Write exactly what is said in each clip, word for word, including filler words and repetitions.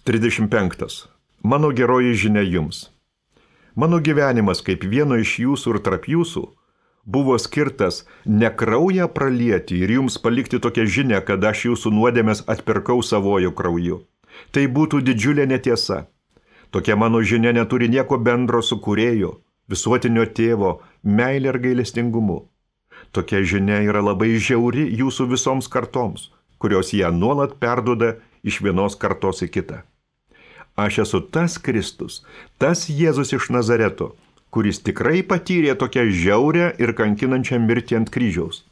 trisdešimt penktas. Mano geroji žinia jums. Mano gyvenimas kaip vieno iš jūsų ir tarp jūsų buvo skirtas ne kraują pralieti ir jums palikti tokią žinią, kad aš jūsų nuodėmes atpirkau savojų krauju. Tai būtų didžiulė netiesa. Tokia mano žinia neturi nieko bendro su kūrėjo, visuotinio tėvo, meilė ir gailestingumu. Tokia žinia yra labai žiauri jūsų visoms kartoms, kurios ją nuolat perduoda iš vienos kartos į kitą. Aš esu tas Kristus, tas Jėzus iš Nazareto, kuris tikrai patyrė tokią žiaurę ir kankinančią mirtį ant kryžiaus.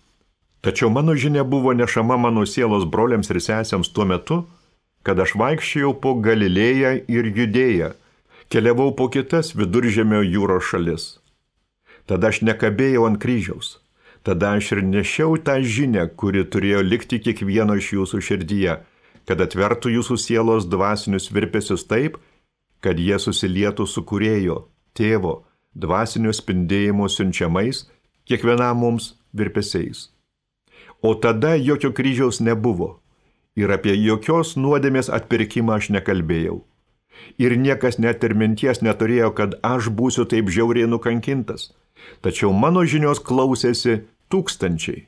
Tačiau mano žinia buvo nešama mano sielos broliams ir sesėms tuo metu, kad aš vaikščiojau po Galilėją ir Judėją, keliavau po kitas Viduržemio jūros šalis. Tada aš nekabėjau ant kryžiaus. Tada aš ir nešiau tą žinią, kuri turėjo likti kiekvieno iš jūsų širdyje, kad atvertų jūsų sielos dvasinius virpesius taip, kad jie susilietų su kūrėjo, tėvo, dvasinio spindėjimo siunčiamais, kiekvienam mums virpesiais. O tada jokio kryžiaus nebuvo ir apie jokios nuodėmės atpirkimą aš nekalbėjau. Ir niekas net ir minties neturėjo, kad aš būsiu taip žiauriai nukankintas. Tačiau mano žinios klausėsi tūkstančiai.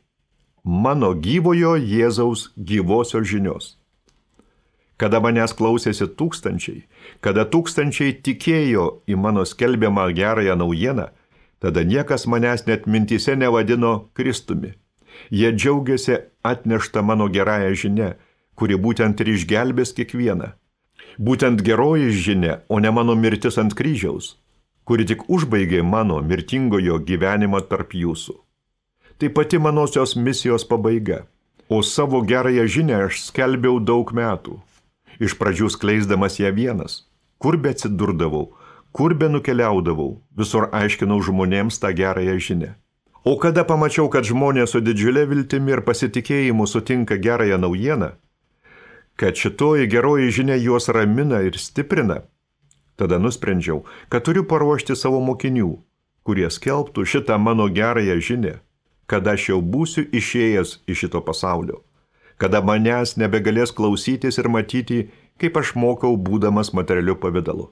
Mano gyvojo Jėzaus gyvosios žinios. Kada manęs klausėsi tūkstančiai, kada tūkstančiai tikėjo į mano skelbiamą gerąją naujieną, tada niekas manęs net mintyse nevadino Kristumi. Jie džiaugiasi atnešta mano gerąją žinią, kuri būtent ir išgelbės kiekvieną. Būtent geroji žinia, o ne mano mirtis ant kryžiaus, kuri tik užbaigė mano mirtingojo gyvenimą tarp jūsų. Tai pati manosios misijos pabaiga, o savo gerąją žinią aš skelbiau daug metų. Iš pradžių skleisdamas ją vienas, kur be atsidurdavau, kur be nukeliaudavau, visur aiškinau žmonėms tą gerąją žinią. O kada pamačiau, kad žmonės su didžiulė viltimi ir pasitikėjimu sutinka gerąją naujieną, kad šitoji geroji žinia juos ramina ir stiprina, tada nusprendžiau, kad turiu paruošti savo mokinių, kurie skelbtų šitą mano gerąją žinią, kada aš jau būsiu išėjęs iš šito pasaulio, kada manęs nebegalės klausytis ir matyti, kaip aš mokau būdamas materialiu pavidalu.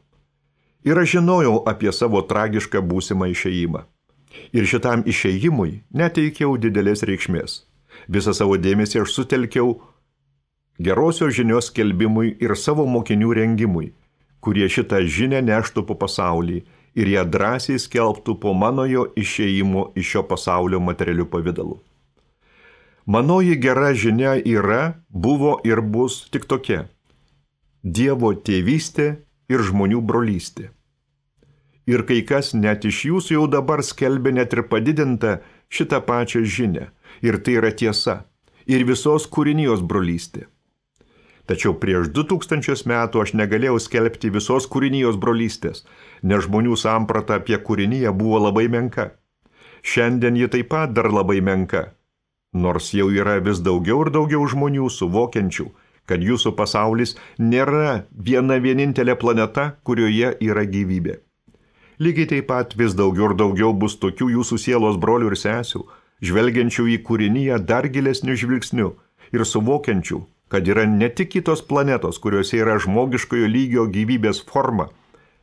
Ir aš žinojau apie savo tragišką būsimą išėjimą. Ir šitam išėjimui neteikiau didelės reikšmės. Visą savo dėmesį aš sutelkiau gerosios žinios skelbimui ir savo mokinių rengimui, kurie šitą žinią neštų po pasaulį ir ją drąsiai skelbtų po manojo išėjimo iš šio pasaulio materialiu pavidalu. Manoji gera žinia yra, buvo ir bus tik tokia – Dievo tėvystė ir žmonių brolystė. Ir kai kas net iš jūsų jau dabar skelbia net ir padidintą šitą pačią žinią, ir tai yra tiesa, ir visos kūrinijos brolystė. Tačiau prieš du tūkstančius metų aš negalėjau skelbti visos kūrinijos brolystės, nes žmonių samprata apie kūriniją buvo labai menka. Šiandien ji taip pat dar labai menka. Nors jau yra vis daugiau ir daugiau žmonių suvokiančių, kad jūsų pasaulis nėra viena vienintelė planeta, kurioje yra gyvybė. Lygiai taip pat vis daugiau ir daugiau bus tokių jūsų sielos brolių ir sesių, žvelgiančių į kūriniją dar gilesniu žvilgsniu ir suvokiančių, kad yra ne tik kitos planetos, kuriuose yra žmogiškojo lygio gyvybės forma,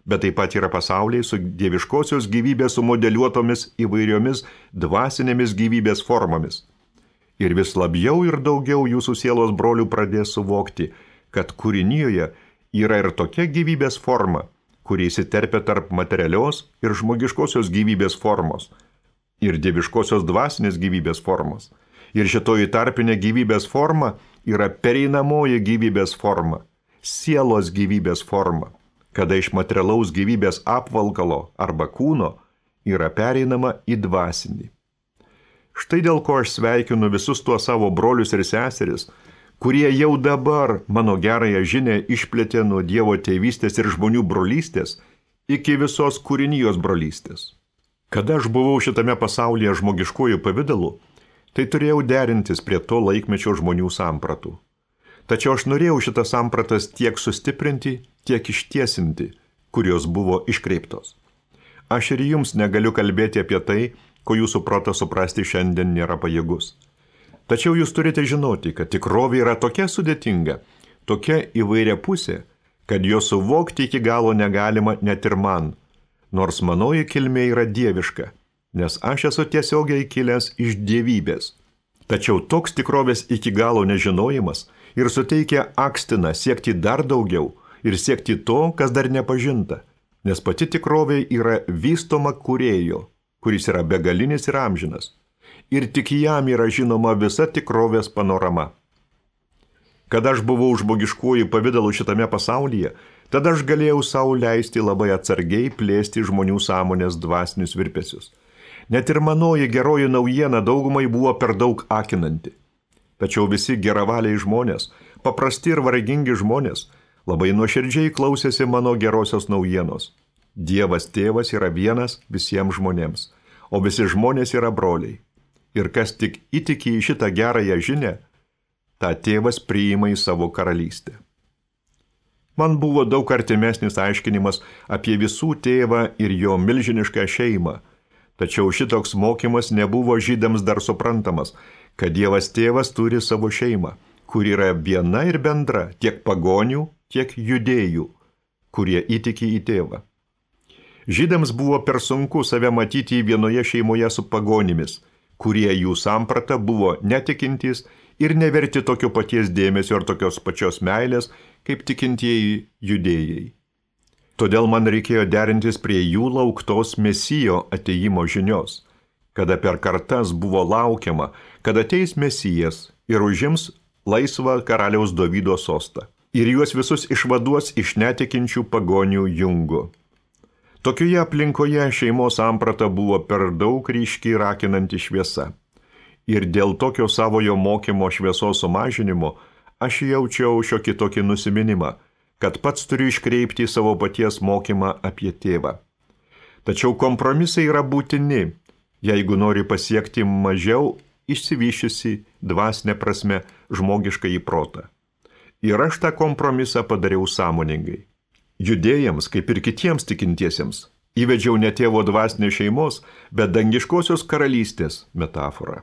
bet taip pat yra pasauliai su dieviškosios gyvybės sumodeliuotomis įvairiomis dvasinėmis gyvybės formomis. Ir vis labiau ir daugiau jūsų sielos brolių pradės suvokti, kad kūrinijoje yra ir tokia gyvybės forma, kuri įsiterpia tarp materialios ir žmogiškosios gyvybės formos, ir dieviškosios dvasinės gyvybės formos. Ir šitoji tarpinė gyvybės forma yra pereinamoji gyvybės forma, sielos gyvybės forma, kada iš materialaus gyvybės apvalkalo arba kūno yra pereinama į dvasinį. Štai dėl ko aš sveikinu visus tuos savo brolius ir seseris, kurie jau dabar mano gerąją žinią išplėtė nuo Dievo tėvystės ir žmonių brolystės iki visos kūrinijos brolystės. Kada aš buvau šitame pasaulyje žmogiškojų pavidalu, tai turėjau derintis prie to laikmečio žmonių sampratų. Tačiau aš norėjau šitas sampratas tiek sustiprinti, tiek ištiesinti, kurios buvo iškreiptos. Aš ir jums negaliu kalbėti apie tai, ko jūsų protas suprasti šiandien nėra pajėgus. Tačiau jūs turite žinoti, kad tikrovė yra tokia sudėtinga, tokia įvairia pusė, kad jo suvokti iki galo negalima net ir man, nors manoji kilmė yra dieviška, nes aš esu tiesiogiai kilęs iš dievybės. Tačiau toks tikrovės iki galo nežinojimas ir suteikia akstiną siekti dar daugiau ir siekti to, kas dar nepažinta, nes pati tikrovė yra vystoma kūrėjo, kuris yra begalinis ir amžinas, ir tik jam yra žinoma visa tikrovės panorama. Kada aš buvau žmogiškuoju pavidalu šitame pasaulyje, tada aš galėjau sau leisti labai atsargiai plėsti žmonių sąmonės dvasinius virpesius. Net ir manoji geroji naujiena daugumai buvo per daug akinanti. Tačiau visi geravaliai žmonės, paprasti ir vargingi žmonės, labai nuoširdžiai klausėsi mano gerosios naujienos. Dievas tėvas yra vienas visiems žmonėms, o visi žmonės yra broliai. Ir kas tik įtiki į šitą gerąją žinią, tą tėvas priima į savo karalystę. Man buvo daug artimesnis aiškinimas apie visų tėvą ir jo milžinišką šeimą, tačiau šitoks mokymas nebuvo žydams dar suprantamas, kad Dievas tėvas turi savo šeimą, kur yra viena ir bendra tiek pagonių, tiek judėjų, kurie įtiki į tėvą. Žydams buvo per sunku save matyti vienoje šeimoje su pagonimis, kurie jų samprata buvo netikintys ir neverti tokio paties dėmesio ar tokios pačios meilės, kaip tikintieji judėjai. Todėl man reikėjo derintis prie jų lauktos Mesijo atėjimo žinios, kada per kartas buvo laukiama, kad ateis Mesijas ir užims laisvą karaliaus Dovydo sostą ir juos visus išvaduos iš netikinčių pagonių jungo. Tokioje aplinkoje šeimos samprata buvo per daug ryškiai rakinanti šviesa. Ir dėl tokio savojo mokymo šviesos sumažinimo aš jaučiau šiokį tokį nusiminimą, kad pats turiu iškreipti savo paties mokymą apie tėvą. Tačiau kompromisai yra būtini, jeigu nori pasiekti mažiau išsivyščiusi dvasinė prasme žmogišką į protą. Ir aš tą kompromisą padariau sąmoningai. Judėjams, kaip ir kitiems tikintiesiems, įvedžiau ne tėvo dvasinės šeimos, bet dangiškosios karalystės metaforą.